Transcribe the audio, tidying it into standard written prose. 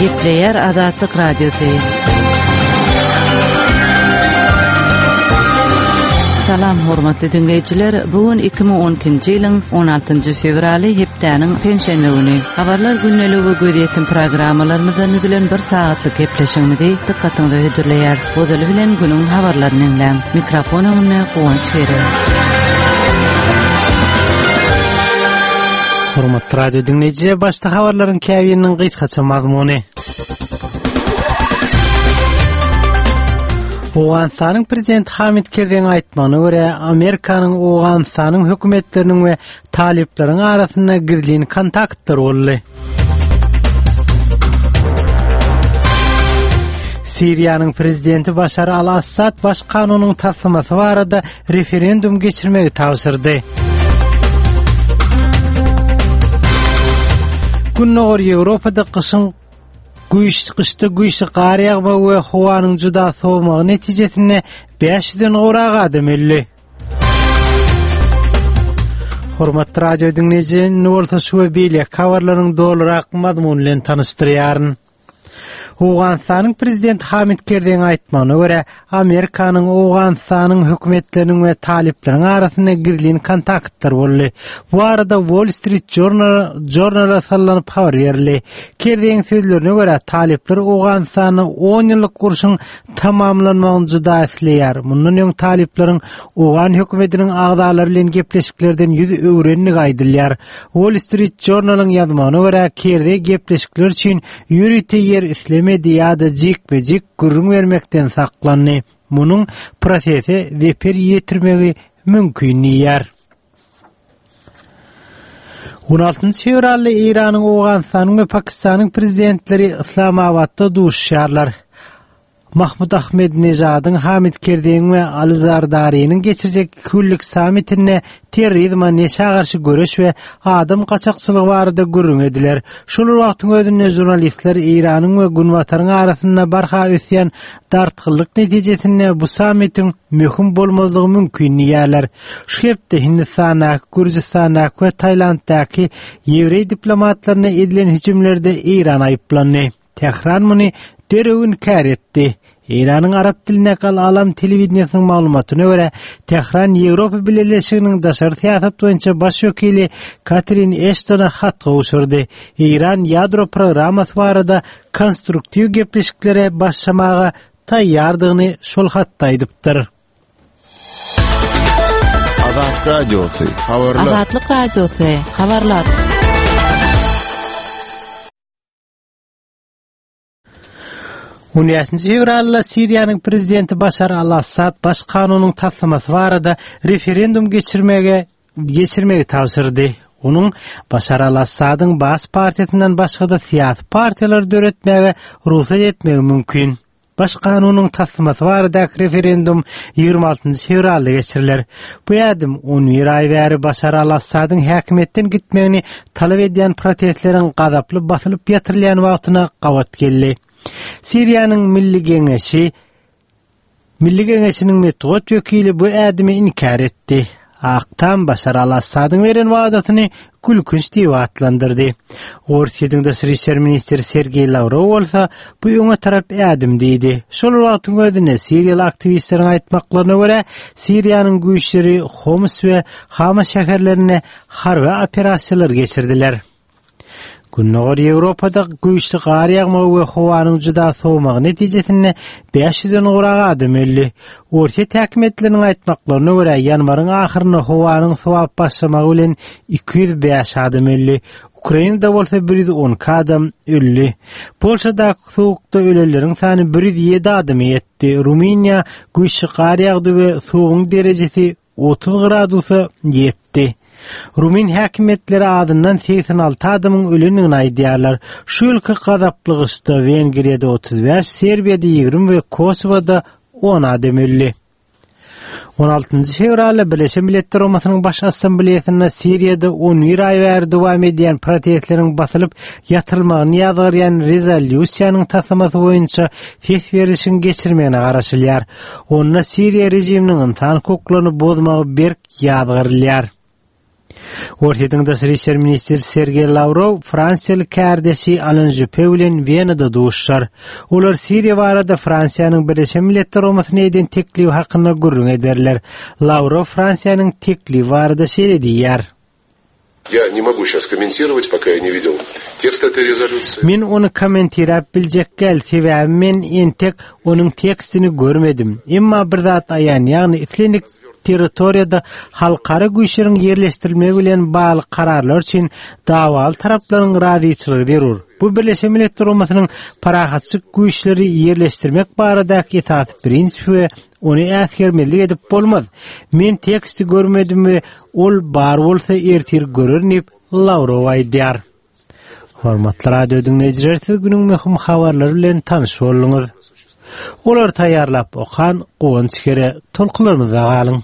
Gepleýär Azatlyk Radiosy. Salam hormatly diňleýjiler, bu gün 2012-nji ýylyň 16-njy fewraly hepdäniň penşenbe güni. Habarlar gündeligi we gözýetim programmalarymyzdan düzülen bir sagatlyk gepleşigimizi dykgatyňyza hödürleýäris. Ozaly bilen günüň habarlaryny diňläň. Mikrofon öňünde Guwanç Gere. Hormatly radio diňleýjiler, başda habarlaryň käbiriniň gysgaça mazmuny. Owganystanyň prezidenti Hamid Kerzeň aýtmagyna görä, Amerikanyň Owganystanyň hökümetleriniň we talyplaryň arasynda gizlin kontaktlar boldy. Siriýanyň prezidenti Başar al-Assad baş kanunyň taslamasy barada referendum geçirmegi tabşyrdy. Gündogar Ýewropada gyşyň güýç gyşda güýçli gar ýagmagy we howanyň juda sowmagy netijesinde 500-den gowrak adam öldi. Hormatly radio diňleýji, indi bolsa şu we beýleki habarlaryň dolurak mazmuny bilen tanyşdyrýaryn. Owganystanyň prezidenti Hamid Kerzeň aýtmagyna görä, Amerikanyň, Owganystanyň hökümetleriniň we talyplaryň arasynda gizlin kontaktlar boldy. Bu barada Wall Street Journal Journala sallanyp habar berildi. Kerzeň sözlerine görä, talyplar Owganystanda 10 ýyllyk urşuň tamamlanmagyny juda isleýär. Mundan öň talyplaryň owgan hökümetiniň agzalary bilen gepleşiklerden ýüz öwrendigi aýdylýar. Wall Street Journal-yň ýazmagyna görä, Kerzeý gepleşikler üçin ýörite ýer islemedi ýa-da jikme-jik gürrüň bermekden saklandy. Munuň prosese zeper ýetirmegi mümkin diýýär. 16 fewralda Eýranyň, Owganystanyň we Pakistanyň prezidentleri Yslamabatda duşuşarlar. Mahmud Ahmedinejadyň, Hamid Kerzeýiň we Ali Zardariniň geçirjek iki günlük sammitinde terrorizme, neşä garşy göreş we adam gaçakçylygy barada gürrüň ediler. Şol bir wagtyň özünde žurnalistler Eýranyň we Günbataryň arasynda barha ösýän dartgynlyk netijesinde bu sammitiň möhüm bolmazlygy mümkin diýýärler. Şu hepde Hindistandaky, Gürjüstandaky we Tailanddaky ýewreý diplomatlaryna edilen hüjümlerde Eýran aýyplandy. Tähran muny derrew inkär etdi. Eýranyň arap dilindäki Al-Alam telewideniýesiniň maglumatyna görä, Tähran Ýewropa Bileleşiginiň daşary syýasat boýunça baş wekili Katrin Eştona hat gowşurdy. Eýran ýadro programmasy barada konstruktiw gepleşiklere başlamaga taýýardygyny şol hatda aýdypdyr. Azat Radiosy, habarlar. Azatlyk Radiosy, habarlar. On bäşinji fewralda Siriýanyň prezidenti Başar al-Assad baş kanunyň taslamasy barada referendum geçirmege geçirmegi tabşyrdy. Onuň Başar al-Assadyň Baas partiýasyndan başga-da syýasy partiýalary döretmäge rugsat etmegi mümkin. Baş kanunyň taslamasy baradaky referendum 26 fewralda geçiriler. Bu ädim 11 aý bäri Başar al-Assadyň häkimiýetden gitmegini talap edýän protestleriň gazaply basylyp ýatyrylýan wagtyna gabat geldi. Siriýanyň Milli Geňeşi Milli Geňeşiniň metbugat wekili bu ädimi inkär etdi. Ak Tam Başar al-Assadyň beren wadasyny gülkünç diýip atlandyrdy. Orsýetiň daşary işler ministri Sergeý Lawrow bolsa bu öňe tarap ädim diýdi. Şol bir wagtyň özünde siriýaly aktiwistleriň aýtmaklaryna görä, Siriýanyň güýçleri Homs we Hama şäherlerinde harby operasiýalar geçirdiler. Gündogar Ýewropada güýçli gar ýagmagy we howanyň juda sowmagy netijesinde 500-den gowrak adam öldi. Orsýet häkimiýetleriniň aýtmaklaryna görä, ýanwaryň ahyrynda howanyň sowap başlamagy bilen 205 adam öldi. Ukrainada bolsa 112 adam öldi. Polşadaky sowukda ölenleriň sany 107 adama ýetdi. Rumyniýa güýçli gar ýagdy we sowugyň derejesi 30 gradusa ýetdi. Rumyn häkimiýetleri azyndan 86 adamyň ölendigini aýdýarlar. Şu ýylky gazaply gyşda Wengriýada 35, Serbiýada 20 we Kosowada 10 adam öldi. 16 fewralda Birleşen Milletler Guramasynyň Baş Assambleýasynda Siriýada 11 aý bäri dowam edýän protestleriň basylyp ýatyrylmagyny ýazgarýan rezolýusiýanyň taslamasy boýunça ses berlişigiň geçirmegine garaşylýar. Onda Siriýa režiminiň ynsan hukuklaryny bozmagy berk ýazgarylýar. Orsýetiň daşary işler ministri Sergeý Lawrow fransiýaly kärdeşi Alan Žüppe bilen Wenada duşuşar. Olar Siriýa barada Fransiýanyň Birleşen Milletler Guramasyna eden teklibi hakynda gürrüň ederler. Lawrow Fransiýanyň teklibi barada şeýle diýýär. Ýa ne mogu şas kommentirowat, poka ýa ne widel tekst etoý rezolýusiýi. Men ony kommentiräp biljek däl, sebäbi men entek onuň tekstini görmedim. Emma bir zat aýan, ýagny islendik territoriýada halkara güýçleriň ýerleşdirilmegi bilen bagly kararlar üçin dawaly taraplaryň razyçylygy zerur. Bu Birleşen Milletler Guramasynyň parahatçylyk güýçleri ýerleşdirmek baradaky esasy prinsipi we Ony äsgermezlik edip bolmaz. Men teksti görmedim we ol bar bolsa ertir görerin diýip, Lawrow aýdýar. Hormatly radio diňleýjiler, siz günüň möhüm habarlary bilen tanyş bolduňyz. Olary taýýarlap okan Guwanç Kere, tolkunlarymyzda galyň.